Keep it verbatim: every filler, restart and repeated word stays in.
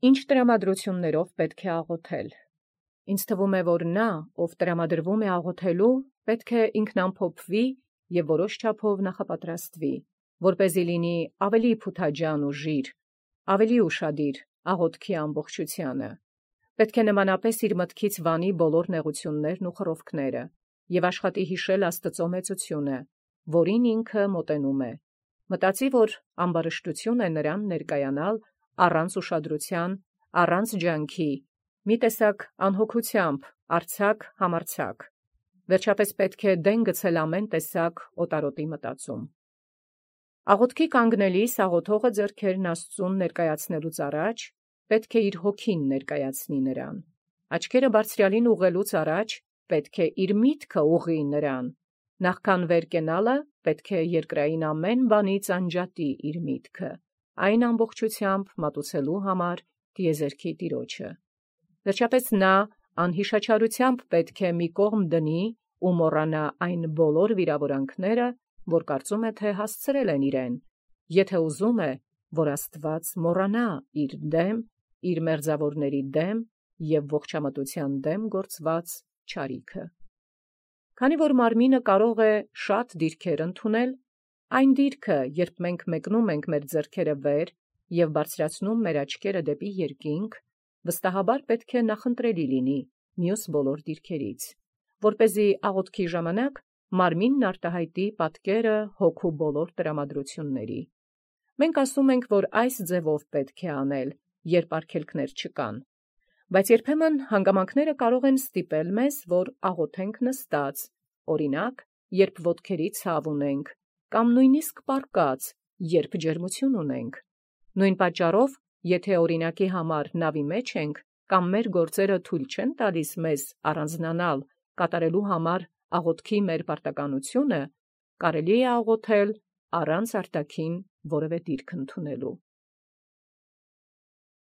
Ինչ տրամադրություններով պետք է աղոթել։ Ինձ թվում է, որ նա, ով տրամադրվում է աղոթելու, պետք է ինքնամփոփվի և որոշ չափով նախապատրաստվի, որպեսզի լինի ավելի փութաջան ու ժիր, ավելի ուշադիր աղոթքի ամբողջությանը։ Պետք է նմանապես իր մտքից վանի բոլոր նեղություններն ու խռովքները և աշխատի հիշել Աստծո մեծությունը, որին ինքը մոտենում է։ Մտածի, որ ամբարշտություն է նրան ներկայանալ առանց ուշադրության, առանց ջանքի, մի տեսակ անհոգությամբ, արձակ համարձակ։ Վերջապես պետք է դեն գցել ամեն տեսակ օտարոտի մտածում։ Աղոթքի կանգնելիս աղոթողը ձեռքերն Աստծուն ներկայացնելուց առաջ պետք է իր հոգին ներկայացնի նրան։ Աչքերը բարձրյալին ուղղելուց առաջ պետք է իր միտքը ուղղի նրան։ Նախքան վեր կենալը պետք է երկրային ամեն բանից անջատի իր միտքը, այն ամբողջությամբ մատուցելու համար տիեզերքի Տիրոջը։ Վերջապես նա անհիշաչարությամբ պետք է մի կողմ դնի ու մոռանա այն բոլոր վիրավորանքները, որ կարծում է, թե հասցրել են իրեն, եթե ուզում է, որ Աստված մոռանա իր դեմ, իր մերձավորների դեմ և ողջամտության դեմ գործված չարիքը։ Քանի որ մարմինը կարող է շատ դիրքեր ընդունել, այն դիրքը, երբ մենք մեկնում ենք մեր ձեռքերը վեր և բարձրացնում մեր աչքերը դեպի երկինք, վստահաբար պետք է նախընտրելի լինի մյուս բոլոր դիրքերից, որպեսզի աղոթքի ժամանակ մարմինն արտահայտի պատկերը հոգու բոլոր տրամադրությունների։ Մենք ասում ենք, որ այս ձևով պետք է անել, երբ արգելքներ չկան, բայց երբեմն հանգամանքները կարող են ստիպել մեզ, որ աղոթենք նստած, օրինակ, երբ ոտքերի ցավ ունենք, կամ նույնիսկ պառկած, երբ ջերմություն ունենք։ Նույն պատճառով, եթե օրինակի համար նավի մեջ ենք, կամ մեր գործերը թույլ չեն տալիս մեզ առանձնանալ կատարելու համար աղոթքի մեր պարտականությունը, կարելի է աղոթել առանց արտաքին որևէ դիրք ընդունելու։